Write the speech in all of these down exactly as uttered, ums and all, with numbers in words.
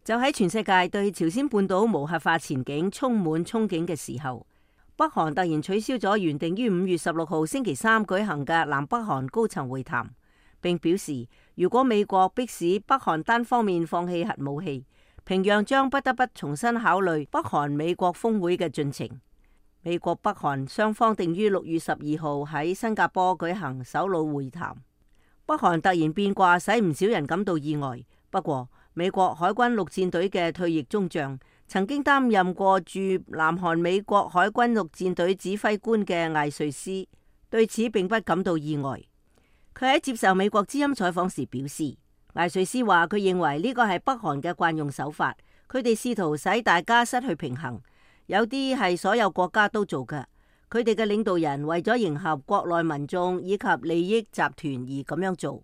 就喺全世界對朝鮮半島無核化前景充滿憧憬嘅時候，北韓突然取消咗原定於五月十六號星期三舉行嘅南北韓高層會談，並表示如果美國迫使北韓單方面放棄核武器，平壤將不得不重新考慮北韓美國峰會嘅進程。美國北韓雙方定於六月十二號喺新加坡舉行首腦會談。北韓突然變卦，使唔少人感到意外。不過，美國海軍陸戰隊嘅退役中將，曾經擔任過駐南韓美國海軍陸戰隊指揮官嘅艾瑞斯，對此並不感到意外。佢喺接受美國之音採訪時表示，艾瑞斯話佢認為呢個係北韓嘅慣用手法，佢哋試圖使大家失去平衡，有啲係所有國家都做嘅。佢哋嘅領導人為咗迎合國內民眾以及利益集團而咁樣做。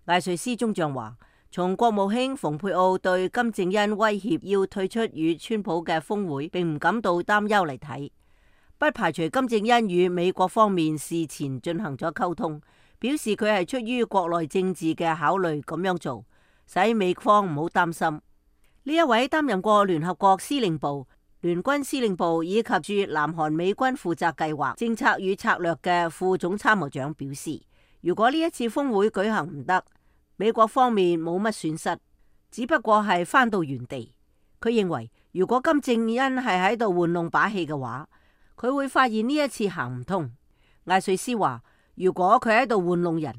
艾瑞斯中將話，從國務卿蓬佩奧對金正恩威脅要退出與川普嘅峰會並唔感到擔憂嚟睇，不排除金正恩與美國方面事前進行咗溝通，表示佢係出於國內政治嘅考慮咁樣做，使美方唔好擔心。呢一位擔任過聯合國司令部、聯軍司令部以及駐南韓美軍負責計劃、政策與策略嘅副總參謀長表示，如果呢一次峰會舉行唔得，美國方面冇乜損失，只不過係返到原地。佢認為，如果金正恩係喺度玩弄把戲嘅話，佢會發現呢一次行唔通。艾瑞斯話，如果佢喺度玩弄人，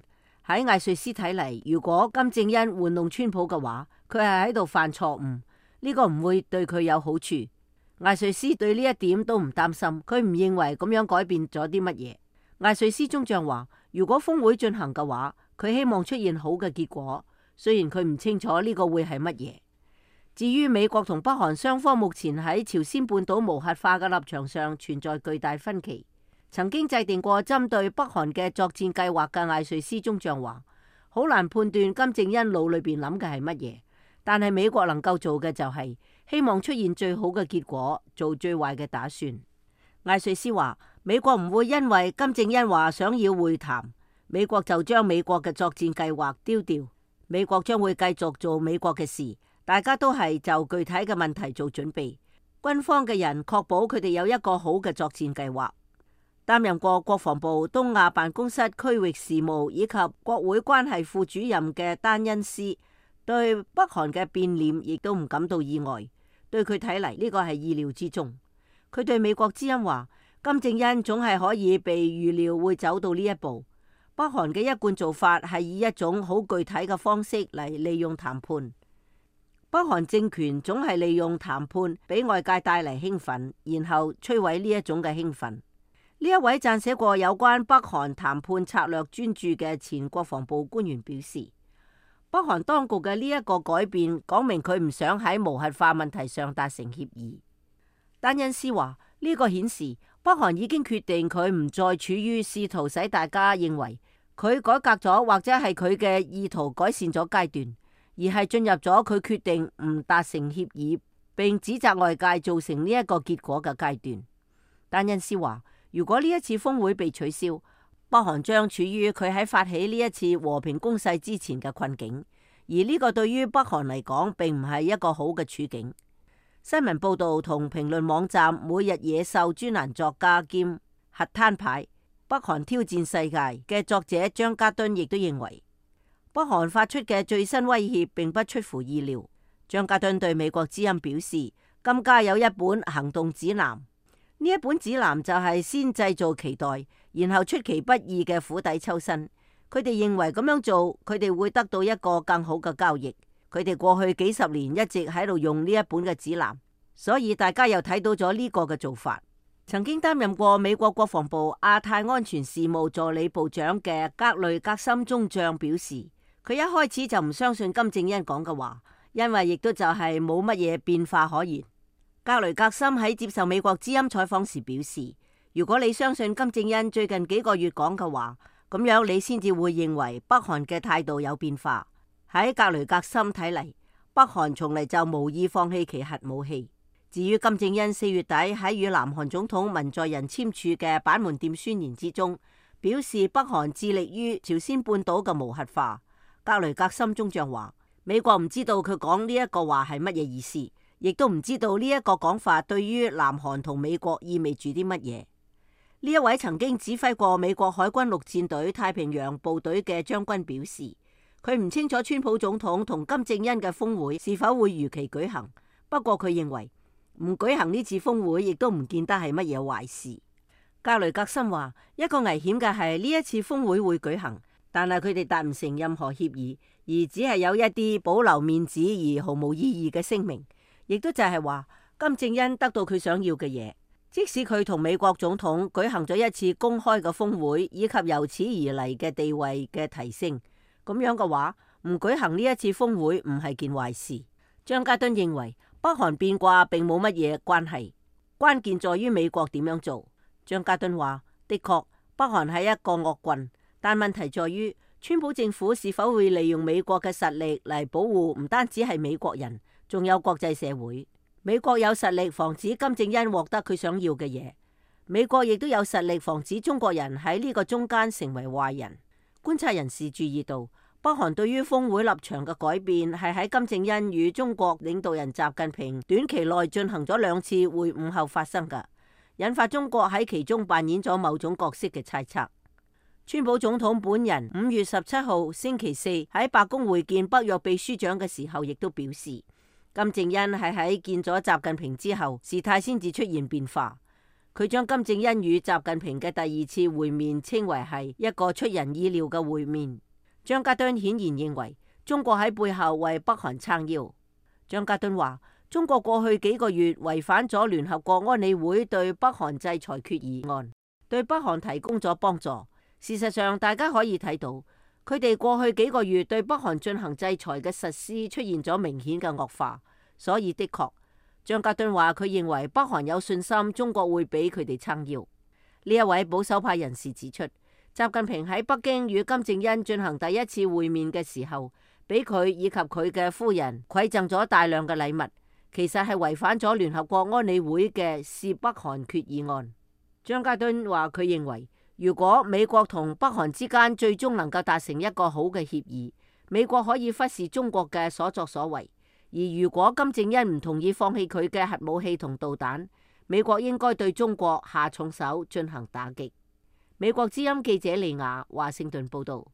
喺艾瑞斯睇嚟，如果金正恩玩弄川普嘅話，佢係喺度犯錯誤，呢個唔會對佢有好處。艾瑞斯對呢一點都唔擔心，佢唔認為咁樣改變咗啲乜嘢。艾瑞斯中將話，如果峰會進行嘅話，佢希望出現好嘅結果，雖然佢唔清楚呢個會係乜嘢。至於美國同北韓雙方目前喺朝鮮半島無核化嘅立場上存在巨大分歧。曾經制定過針對北韓嘅作戰計劃嘅艾瑞斯中將話，好難判斷金正恩腦裏邊諗嘅係乜嘢，但係美國能夠做嘅就係希望出現最好嘅結果，做最壞嘅打算。艾瑞斯話，美國唔會因為金正恩話想要會談，美國就將美國嘅作戰計劃丟掉。美國將會繼續做美國嘅事，大家都係就具體嘅問題做準備。軍方嘅人確保佢哋有一個好嘅作戰計劃。擔任過國防部東亞辦公室區域事務以及國會關係副主任嘅丹恩斯，對北韓嘅變臉亦都唔感到意外。對佢睇嚟，呢個係意料之中。佢對美國之音話，金正恩總係可以被預料會走到呢一步。北韓嘅一貫做法係以一種好具體嘅方式嚟利用談判。北韓政權總係利用談判俾外界帶嚟興奮，然後摧毀呢一種嘅興奮。呢一位撰寫過有關北韓談判策略專著嘅前國防部官員表示，北韓當局嘅呢一個改變講明佢唔想喺無核化問題上達成協議。丹恩斯話，呢個顯示北韓已經決定佢唔再處於試圖使大家認為佢改革咗或者係佢嘅意圖改善咗階段，而係進入咗佢決定唔達成協議並指責外界造成呢一個結果嘅階段。丹恩斯話，如果呢一次峰會被取消，北韓將處於佢喺發起呢一次和平攻勢之前嘅困境，而呢個對於北韓嚟講並唔係一個好嘅處境。新聞報道同評論網站每日野獸專欄作家兼核攤牌北韓挑戰世界嘅作者張家敦亦都認為，北韓發出嘅最新威脅並不出乎意料。張家敦對美國之音表示，今家有一本行動指南，呢一本指南就係先製造期待，然後出其不意嘅釜底抽薪。佢哋認為咁樣做，佢哋會得到一個更好嘅交易。佢哋過去幾十年一直喺度用呢一本嘅指南，所以大家又睇到咗呢個嘅做法。曾經擔任過美國國防部亞太安全事務助理部長嘅格雷格森中將表示，佢一開始就唔相信金正恩講嘅話，因為亦都就係冇乜嘢變化可言。格雷格森喺接受美國之音採訪時表示，如果你相信金正恩最近幾個月講嘅話，咁樣你先至會認為北韓嘅態度有變化。喺格雷格森睇嚟，北韓從嚟就無意放棄其核武器。至於金正恩四月底喺與南韓總統文在寅簽署嘅板門店宣言之中，表示北韓致力於朝鮮半島嘅無核化。格雷格森中將話，美國唔知道佢講呢一個話係乜嘢意思，亦都唔知道呢一個講法對於南韓同美國意味住啲乜嘢。呢一位曾經指揮過美國海軍陸戰隊太平洋部隊嘅將軍表示，佢唔清楚川普總統同金正恩嘅峰會是否會如期舉行，不過佢認為唔舉行呢次峰會亦都唔見得係乜嘢壞事。格雷格森話，一個危險嘅係呢一次峰會會舉行，但係佢哋達唔成任何協議，而只係有一啲保留面子而毫無意義嘅聲明，亦都就係話金正恩得到佢想要嘅嘢。即使佢同美國總統舉行咗一次公開嘅峰會，以及由此而嚟嘅地位嘅提升，咁樣嘅話，唔舉行呢一次峰會唔係件壞事。張家敦認為北韓變卦並冇乜嘢關係，關鍵在於美國點樣做。張家敦話：的確，北韓係一個惡棍，但問題在於川普政府是否會利用美國嘅實力嚟保護唔單止係美國人，仲有國際社會。美國有實力防止金正恩獲得佢想要嘅嘢，美國亦都有實力防止中國人喺呢個中間成為壞人。觀察人士注意到，北韓對於峰會立場嘅改變係喺金正恩與中國領導人習近平短期內進行咗兩次會晤後發生㗎，引發中國喺其中扮演咗某種角色嘅猜測。川普總統本人五月十七號星期四喺白宮會見北約秘書長嘅時候，亦都表示，金正恩係喺見咗習近平之後，事態先至出現變化。佢將金正恩與習近平嘅第二次會面稱為係一個出人意料嘅會面。張家敦顯然認為中國喺背後為北韓撐腰。張家敦話：中國過去幾個月違反咗聯合國安理會對北韓制裁決議案，對北韓提供咗幫助。事實上，大家可以睇到，佢哋過去幾個月對北韓進行制裁嘅實施出現咗明顯嘅惡化，所以的確，張家敦話佢認為北韓有信心中國會俾佢哋撐腰。呢一位保守派人士指出，習近平喺北京與金正恩進行第一次會面嘅時候，俾佢以及佢嘅夫人饋贈咗大量嘅禮物，其實係違反咗聯合國安理會嘅涉北韓決議案。張家敦話佢認為，如果美國同北韓之間最終能夠達成一個好嘅協議，美國可以忽視中國嘅所作所為；而如果金正恩唔同意放棄佢嘅核武器同導彈，美國應該對中國下重手進行打擊。美國之音記者利亞華盛頓報道。